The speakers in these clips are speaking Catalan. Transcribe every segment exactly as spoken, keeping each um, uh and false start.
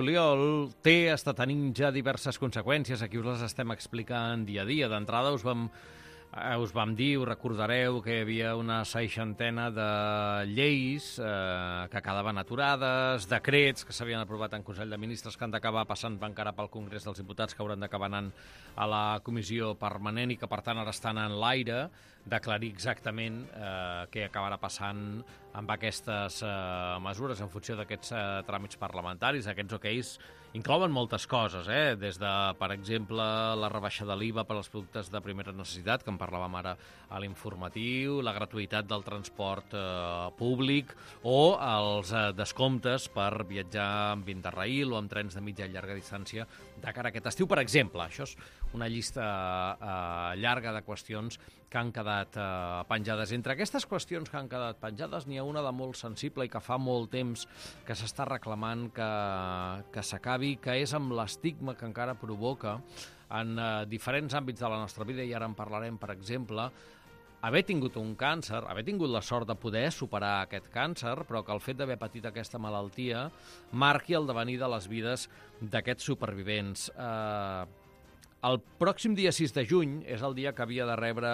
Juliol té, està tenint ja diverses conseqüències, aquí us les estem explicant dia a dia. D'entrada us vam, eh, us vam dir, us recordareu que hi havia una seixantena de lleis eh, que quedaven aturades, decrets que s'havien aprovat en Consell de Ministres que han d'acabar passant encara pel Congrés dels Diputats, que hauran d'acabar anant a la comissió permanent i que per tant ara estan en l'aire d'aclarir exactament eh, què acabarà passant amb aquestes eh, mesures en funció d'aquests eh, tràmits parlamentaris. Aquests oqueis inclouen moltes coses, eh? Des de, per exemple, la rebaixa de l'I V A per als productes de primera necessitat, que en parlàvem ara a l'informatiu, la gratuïtat del transport eh, públic o els eh, descomptes per viatjar amb Interrail o amb trens de mitja i llarga distància de cara a aquest estiu, per exemple. Això és una llista eh, llarga de qüestions que han quedat eh, penjades. Entre aquestes qüestions que han quedat penjades n'hi ha una de molt sensible i que fa molt temps que s'està reclamant que, que s'acabi, que és amb l'estigma que encara provoca en eh, diferents àmbits de la nostra vida, i ara en parlarem, per exemple, haver tingut un càncer, haver tingut la sort de poder superar aquest càncer, però que el fet d'haver patit aquesta malaltia marqui el devenir de les vides d'aquests supervivents. Eh, el pròxim dia sis de juny és el dia que havia de rebre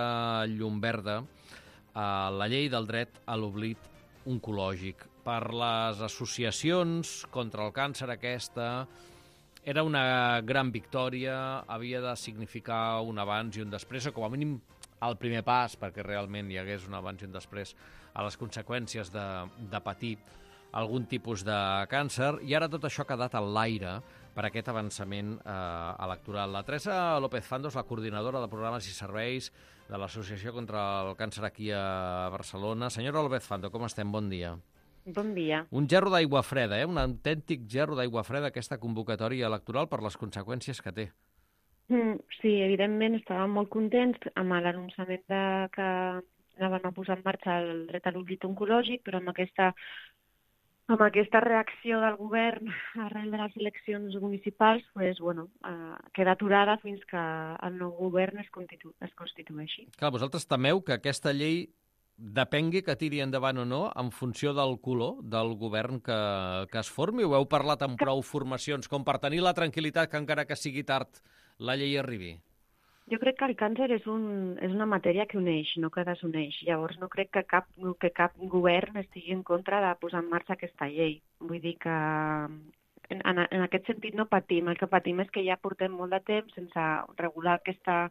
llum verda eh, la llei del dret a l'oblit oncològic. Per les associacions contra el càncer aquesta era una gran victòria, havia de significar un abans i un després, o com a mínim el primer pas perquè realment hi hagués un abans i un després a les conseqüències de, de patir algun tipus de càncer, i ara tot això ha quedat en l'aire per aquest avançament eh, electoral. La Teresa López Fandos, la coordinadora de programes i serveis de l'Associació contra el Càncer aquí a Barcelona. Senyora López Fandos, com estem? Bon dia. Bon dia. Un gerro d'aigua freda, eh? Un autèntic gerro d'aigua freda, aquesta convocatòria electoral, per les conseqüències que té. Mm, sí, evidentment estàvem molt contents amb l'anunciament de que anaven a posar en marxa el dret a l'oblit oncològic, però amb aquesta, amb aquesta reacció del govern arrel de les eleccions municipals, pues, bueno, eh, queda aturada fins que el nou govern es, constitu es constitueixi. Clar, vosaltres temeu que aquesta llei depengui que tiri endavant o no en funció del color del govern que, que es formi? Ho heu parlat amb prou formacions com per tenir la tranquil·litat que encara que sigui tard la llei arribi? Jo crec que el càncer és, un, és una matèria que uneix, no que desuneix. Llavors no crec que cap, que cap govern estigui en contra de posar en marxa aquesta llei. Vull dir que en, en, en aquest sentit no patim. El que patim és que ja portem molt de temps sense regular aquesta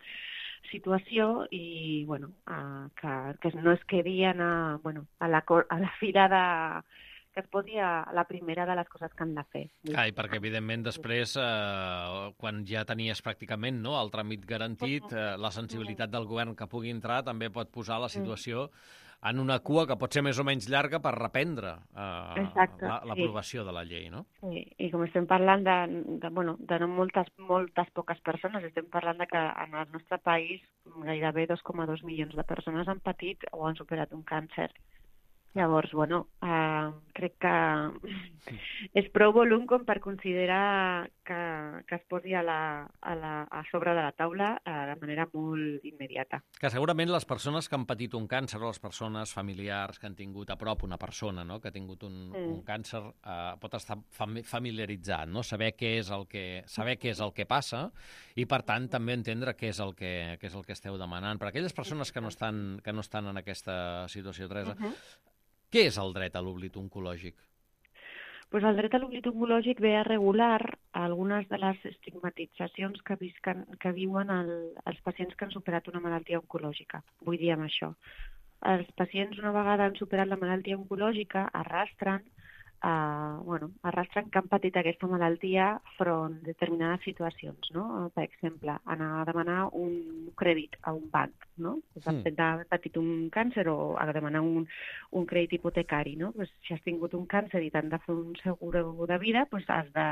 situació i bueno, uh, que, que no es quedi a, bueno, a, la, a la fila de que es posi a la primera de les coses que han de fer. Ah, i perquè, evidentment, després, eh, quan ja tenies pràcticament no, el tràmit garantit, eh, la sensibilitat del govern que pugui entrar també pot posar la situació en una cua que pot ser més o menys llarga per reprendre eh, l'aprovació la, de la llei, no? Sí, i com estem parlant de, de, bueno, de no moltes, moltes poques persones, estem parlant de que en el nostre país gairebé dos coma dos milions de persones han patit o han superat un càncer. Llavors, bueno, eh, crec que és prou volum com per considerar que, que es posi a, la, a, la, a sobre de la taula eh, de manera molt immediata. Que segurament les persones que han patit un càncer o les persones familiars que han tingut a prop una persona no, que ha tingut un, mm. un càncer eh, pot estar fam familiaritzat, no? Saber què és el que, saber què és el que passa i, per tant, també entendre què és el que, què és el que esteu demanant. Per aquelles persones que no estan, que no estan en aquesta situació, Teresa, uh-huh. Què és el dret a l'oblit oncològic? Pues el dret a l'oblit oncològic ve a regular algunes de les estigmatitzacions que, visquen, que viuen el, els pacients que han superat una malaltia oncològica. Vull dir amb això. Els pacients, una vegada han superat la malaltia oncològica, arrastren, eh, bueno, arrastren que han patit aquesta malaltia front a determinades situacions, no? Per exemple, anar a demanar un crèdit a un banc, no? Pues el fet d'haver patit un càncer o a demanar un, un crèdit hipotecari, no? Pues si has tingut un càncer i t'han de fer un seguro de vida, pues has de,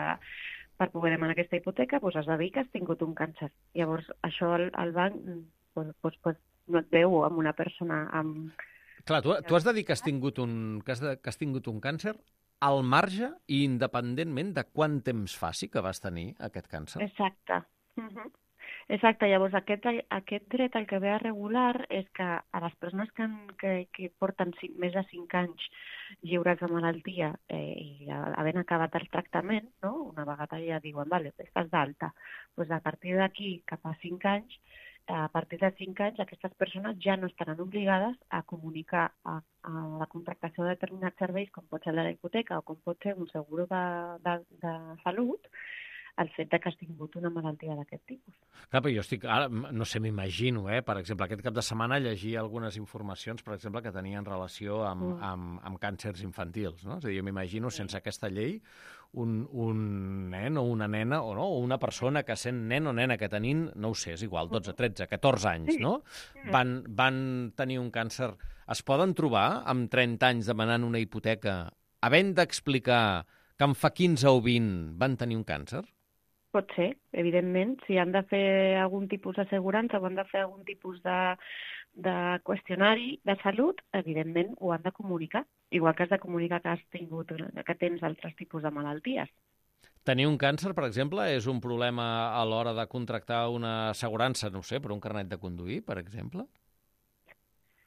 per poder demanar aquesta hipoteca, pues has de dir que has tingut un càncer. Llavors, això el, el banc pues, pues, pues, no et veu amb una persona amb... Clar, tu, tu has de dir que has tingut un, que has, de, que has tingut un càncer al marge i independentment de quant temps faci que vas tenir aquest càncer. Exacte. Uh-huh. Exacte, llavors aquest, aquest dret el que ve a regular és que a les persones que, han, que, que porten cinc, més de cinc anys lliures de malaltia eh, i havent acabat el tractament, no? Una vegada ja diuen, vale, estàs d'alta, doncs a partir d'aquí cap a cinc anys, a partir de cinc anys aquestes persones ja no estaran obligades a comunicar a, a la contractació de determinats serveis, com pot ser la hipoteca o com pot ser un seguro de, de, de salut, el fet de que has tingut una malaltia d'aquest tipus. Clar, però jo estic, ara, no sé, m'imagino, eh? Per exemple, aquest cap de setmana llegia algunes informacions, per exemple, que tenien relació amb, mm. amb, amb càncers infantils, no? És a dir, jo m'imagino, sí. sense aquesta llei, un, un nen o una nena, o no, o una persona que sent nen o nena que tenint, no ho sé, és igual, dotze, tretze, catorze anys, no? Van, van tenir un càncer. Es poden trobar amb trenta anys demanant una hipoteca, havent d'explicar que en fa quinze o vint van tenir un càncer? Pot ser, evidentment. Si han de fer algun tipus d'assegurança o han de fer algun tipus de, de qüestionari de salut, evidentment ho han de comunicar. Igual que has de comunicar que has tingut, que tens altres tipus de malalties. Tenir un càncer, per exemple, és un problema a l'hora de contractar una assegurança, no sé, per un carnet de conduir, per exemple?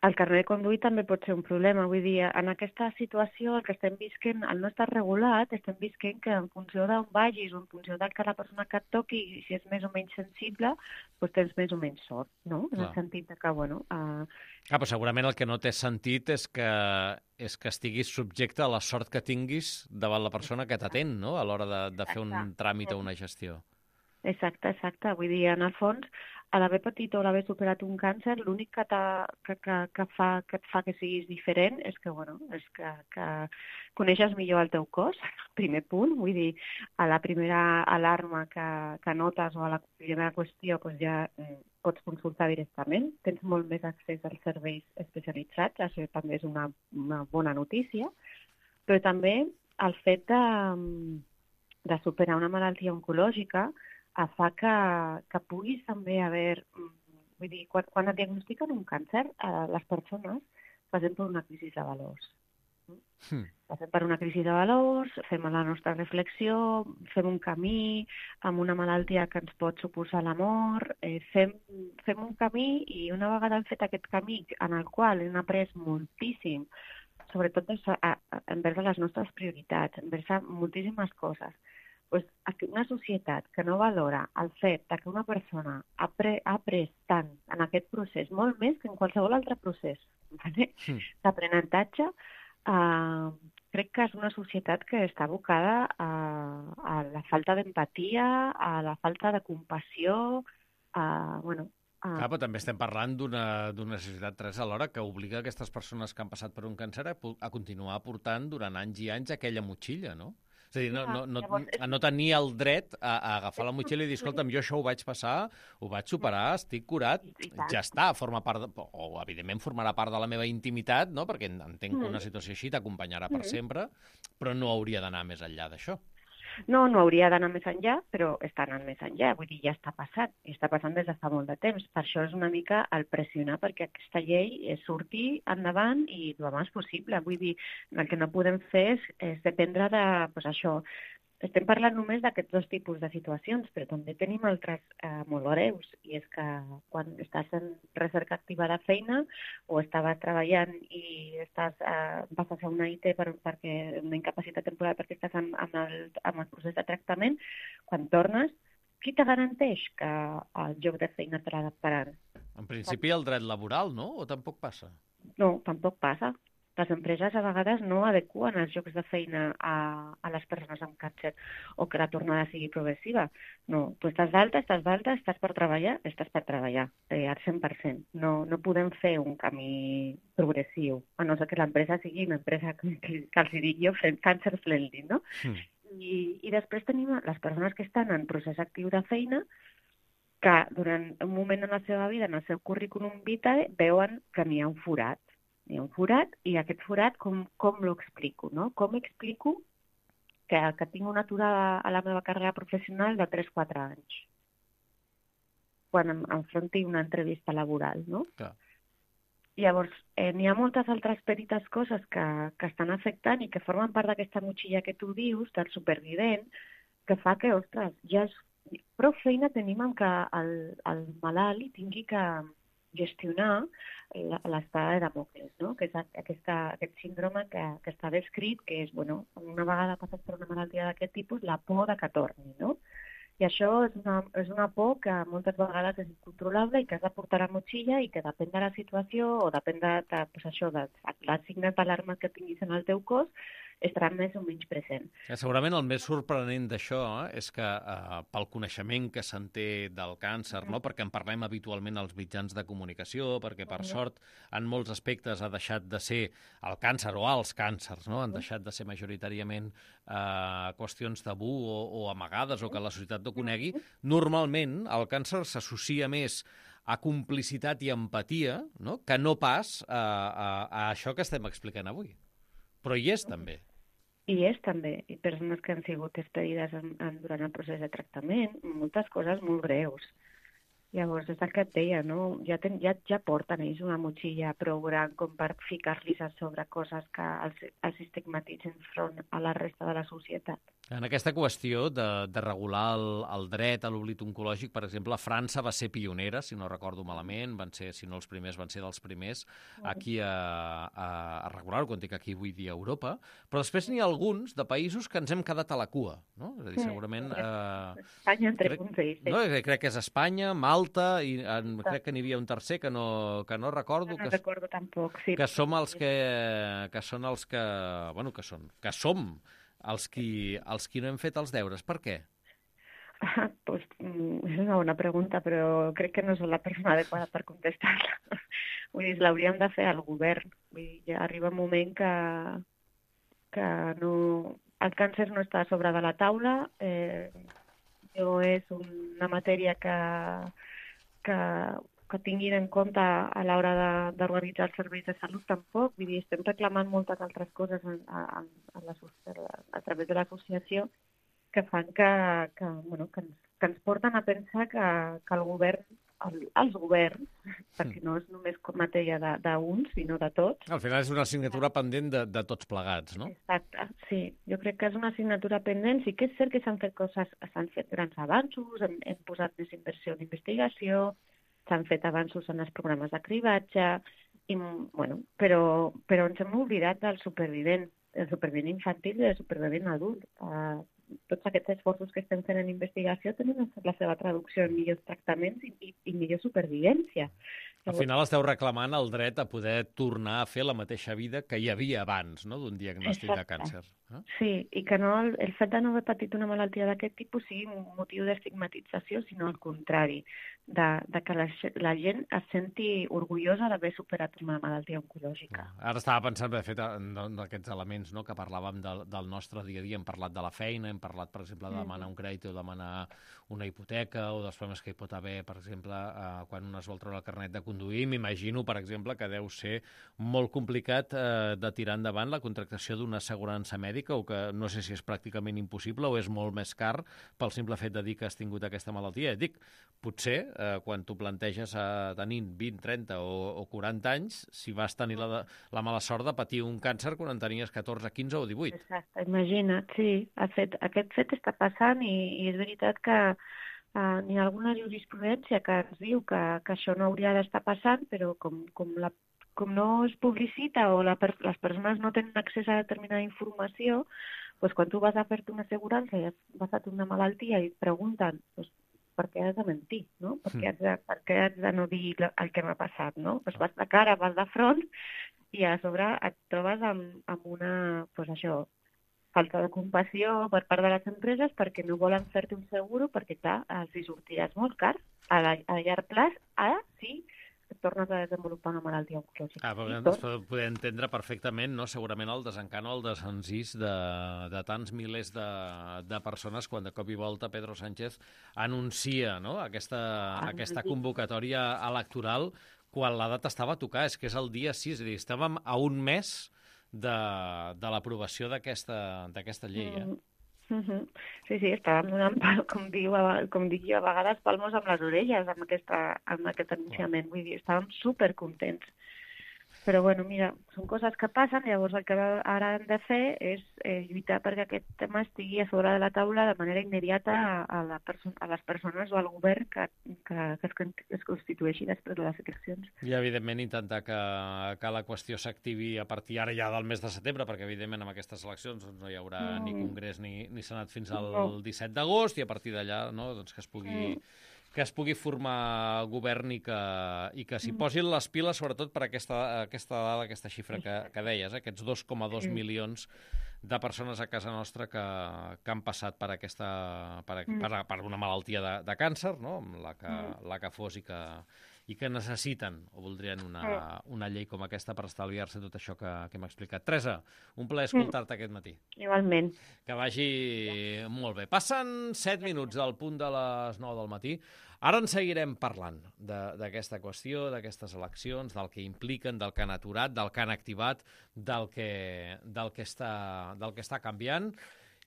El carnet de conduir també pot ser un problema. Vull dir, en aquesta situació el que estem visquent, al no estar regulat, estem visquent que en funció d'on vagis o en funció del que la persona que et toqui, si és més o menys sensible, doncs tens més o menys sort, no? En Clar. El sentit de que, bueno... Uh... Ah, però segurament el que no té sentit és que, és que estiguis subjecte a la sort que tinguis davant la persona que t'atén, no?, a l'hora de, de fer un tràmit o una gestió. Exacte, exacte. Vull dir, en el fons, a l'haver patit o l'haver superat un càncer, l'únic que, que, que, que, fa, que et fa que siguis diferent és que, bueno, és que, que coneixes millor el teu cos, primer punt. Vull dir, a la primera alarma que, que notes o a la primera qüestió doncs ja eh, pots consultar directament. Tens molt més accés als serveis especialitzats, això també és una, una bona notícia, però també el fet de, de superar una malaltia oncològica fa que, que puguis també haver... Vull dir, quan, quan et diagnostiquen un càncer, eh, les persones passem per una crisi de valors. Mm. Passem per una crisi de valors, fem la nostra reflexió, fem un camí amb una malaltia que ens pot suposar la mort, eh, fem, fem un camí i una vegada hem fet aquest camí en el qual hem après moltíssim, sobretot envers les nostres prioritats, envers moltíssimes coses, pues, una societat que no valora el fet que una persona ha, pre, ha après tant en aquest procés, molt més que en qualsevol altre procés, vale? Sí. D'aprenentatge, eh, crec que és una societat que està abocada a, a la falta d'empatia, a la falta de compassió, a, bueno... A... Clar, però també estem parlant d'una societat, Teresa, alhora que obliga aquestes persones que han passat per un càncer a, a continuar portant durant anys i anys aquella motxilla, no? És a dir, no, no, no, a no tenir el dret a, a agafar la motxilla i dir, escolta'm, jo això ho vaig passar, ho vaig superar, estic curat, ja està, forma part, de, o evidentment formarà part de la meva intimitat, no?, perquè entenc que una situació així t'acompanyarà per sempre, però no hauria d'anar més enllà d'això. No, no hauria d'anar més enllà, però està anant més enllà. Vull dir, ja està passant. I està passant des de fa molt de temps. Per això és una mica el pressionar perquè aquesta llei surti endavant i el més possible. Vull dir, el que no podem fer és, és dependre de... Pues això, estem parlant només d'aquests dos tipus de situacions, però també tenim altres eh, molt greus. I és que quan estàs en recerca activa de feina o estaves treballant i estàs, eh, vas a fer una I T per, perquè una incapacitat temporal perquè estàs en, en, el, en el procés de tractament, quan tornes, qui te garanteix que el lloc de feina te l'ha d'esperar? En principi el dret laboral, no? O tampoc passa? No, tampoc passa. Les empreses a vegades no adequen els llocs de feina a, a les persones amb càncer o que la tornada sigui progressiva. No, tu estàs d'alta, estàs d'alta, estàs per treballar, estàs per treballar, eh, al cent per cent. No, no podem fer un camí progressiu, a no ser que l'empresa sigui una empresa que, que, que els dic jo, cancer friendly, no? Mm. I, I després tenim les persones que estan en procés actiu de feina que durant un moment en la seva vida, en el seu currículum vitae, veuen que n'hi ha un forat. Hi ha un forat, i aquest forat com, com l'explico, no? Com explico que, que tinc una aturada a la meva carrera professional de tres a quatre anys quan em enfronti una entrevista laboral, no? Clar. Llavors, eh, n'hi ha moltes altres petites coses que, que estan afectant i que formen part d'aquesta motxilla que tu dius, del supervivent, que fa que, ostres, ja és prou feina tenim amb que el, el malalt hi tingui que gestionar l'estada de Damocles, no? Que és aquesta, aquest síndrome que, que està descrit, que és, bueno, una vegada passat per una malaltia d'aquest tipus, la por de que torni, no? I això és una, és una por que moltes vegades és incontrolable i que has de portar a la motxilla i que depèn de la situació o depèn de, de, pues això, de, de les signes d'alarma que tinguis en el teu cos, estarà més o menys present. Eh, segurament el més sorprenent d'això eh, és que eh, pel coneixement que se'n té del càncer, no? Perquè en parlem habitualment als mitjans de comunicació, perquè per sort en molts aspectes ha deixat de ser el càncer o els càncers, no? Han deixat de ser majoritàriament eh, qüestions tabú o, o amagades o que la societat no conegui. Normalment el càncer s'associa més a complicitat i empatia, no? Que no pas a, a, a això que estem explicant avui. Però hi és, també. I és, també. I persones que han sigut despedides en, en, durant el procés de tractament, moltes coses molt greus. Llavors, és el que et deia, no? Ja, ten, ja, ja porten ells una motxilla prou gran com per ficar-los a sobre coses que els, els estigmatitzen front a la resta de la societat. En aquesta qüestió de, de regular el, el dret a l'oblit oncològic, per exemple, França va ser pionera, si no recordo malament, van ser, si no els primers, van ser dels primers aquí a, a, a regular-ho, quan dic aquí vull dir a Europa, però després n'hi ha alguns de països que ens hem quedat a la cua, no? És a dir, segurament... Eh, Espanya entre crec, punts ells. No, crec que és Espanya, Malta, i en, crec que n'hi havia un tercer que no, que no recordo. No, no que, recordo tampoc, sí. Que som els que, que són els que... Bueno, que són, que som els qui, els qui no hem fet els deures. Per què? Ah, pues, és una bona pregunta, però crec que no soc la persona adequada per contestar-la. Vull dir, l'hauríem de fer al govern. Vull dir, ja arriba un moment que, que no... el càncer no està a sobre de la taula, eh, no és una matèria que, que, que tinguin en compte a l'hora d'organitzar els serveis de salut tampoc. Vull dir, estem reclamant moltes altres coses en, en, en la, a través de l'associació que fan que, que, bueno, que, ens, que ens porten a pensar que, que el govern, el, els governs, perquè no és només matèria d'uns, sinó de tots. Al final és una assignatura pendent de, de tots plegats, no? Exacte, sí. Jo crec que és una assignatura pendent. Sí que és cert que s'han fet coses, s'han fet grans avanços, hem, hem posat més inversió en investigació, s'han fet avanços en els programes de cribatge, i, bueno, però, però ens hem oblidat del supervivent, el supervivent infantil i el supervivent adult. Uh, tots aquests esforços que estem fent en investigació tenen la seva traducció en millors tractaments i, i, i millor supervivència. Al final esteu reclamant el dret a poder tornar a fer la mateixa vida que hi havia abans, no?, d'un diagnòstic de càncer. Eh? Sí, i que no el, el fet de no haver patit una malaltia d'aquest tipus sigui un motiu d'estigmatització, sinó al contrari, de, de que la, la gent es senti orgullosa d'haver superat una malaltia oncològica. Ara estava pensant, de fet, en, en aquests elements, no?, que parlàvem del, del nostre dia a dia. Hem parlat de la feina, hem parlat, per exemple, de demanar un crèdit o demanar una hipoteca, o dels problemes que hi pot haver, per exemple, eh, quan un es vol treure el carnet de conduir. M'imagino, per exemple, que deu ser molt complicat eh, de tirar endavant la contractació d'una assegurança mèdica, o que no sé si és pràcticament impossible o és molt més car pel simple fet de dir que has tingut aquesta malaltia. Et dic, potser, eh, quan tu planteges a tenir vint, trenta o, o quaranta anys, si vas tenir la, la mala sort de patir un càncer quan en tenies catorze, quinze o divuit. Exacte, imagina't, sí. Fet, aquest fet està passant i, i és veritat que Uh, n'hi ha alguna jurisprudència que ens diu que, que això no hauria d'estar passant, però com, com, la, com no es publicita o la, les persones no tenen accés a determinada informació, doncs quan tu vas a fer-te una assegurança i has passat una malaltia i et pregunten doncs, per què has de mentir, no? Per què has de, per què has de no dir el que m'ha passat, no? Doncs vas de cara, vas de front i a sobre et trobes amb, amb una, doncs això, falta de compassió per part de les empreses perquè no volen fer-te un seguro perquè, clar, els hi sortiràs molt car. A, la, a llarg plaç, ara sí que tornes a desenvolupar una malaltia oncològica. Ah, però ens podem entendre perfectament, no?, segurament el desencant o el desencís de, de tants milers de, de persones quan de cop i volta Pedro Sánchez anuncia, no?, aquesta, ah, aquesta convocatòria electoral quan la data estava a tocar. És que és el dia sis, és a dir, estàvem a un mes de, de l'aprovació d'aquesta llei, eh? Mm-hmm. Sí, sí, estàvem donant, com, diu, com dic jo, a vegades palmos amb les orelles amb, aquesta, amb aquest anunciament. Vull dir, estàvem supercontents. Però, bueno, mira, són coses que passen, llavors el que ara hem de fer és eh, lluitar perquè aquest tema estigui a sobre de la taula de manera immediata a, a, la perso a les persones o al govern que, que, que, es, es constitueixi després de les eleccions. I, evidentment, intentar que, que la qüestió s'activi a partir ara ja del mes de setembre, perquè, evidentment, amb aquestes eleccions doncs, no hi haurà mm. ni congrés ni, ni senat fins al no. disset d'agost, i a partir d'allà no, doncs, que es pugui... Mm. que es pugui formar govern i que, i que s'hi posin les piles, sobretot per aquesta, aquesta dada, aquesta xifra que, que deies, eh? Aquests dos coma dos milions de persones a casa nostra que, que han passat per, aquesta, per, per, per una malaltia de, de càncer, no? la, que, la que fos, i que, i que necessiten o voldrien una, una llei com aquesta per estalviar-se tot això que, que hem explicat. Teresa, un plaer escoltar-te aquest matí. Igualment. Que vagi molt bé. Passen set minuts del punt de les nou del matí. Ara en seguirem parlant d'aquesta qüestió, d'aquestes eleccions, del que impliquen, del que han aturat, del que han activat, del que, del que, està, del que està canviant,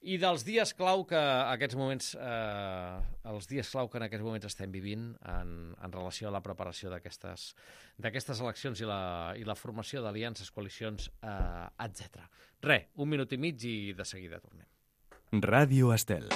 i dels dies clau que aquests moments, eh, els dies clau que en aquests moments estem vivint en, en relació a la preparació d'aquestes d'aquestes eleccions i la, i la formació d'aliances, coalicions, eh, etcètera. Re, un minut i mig i de seguida tornem. Ràdio Estel.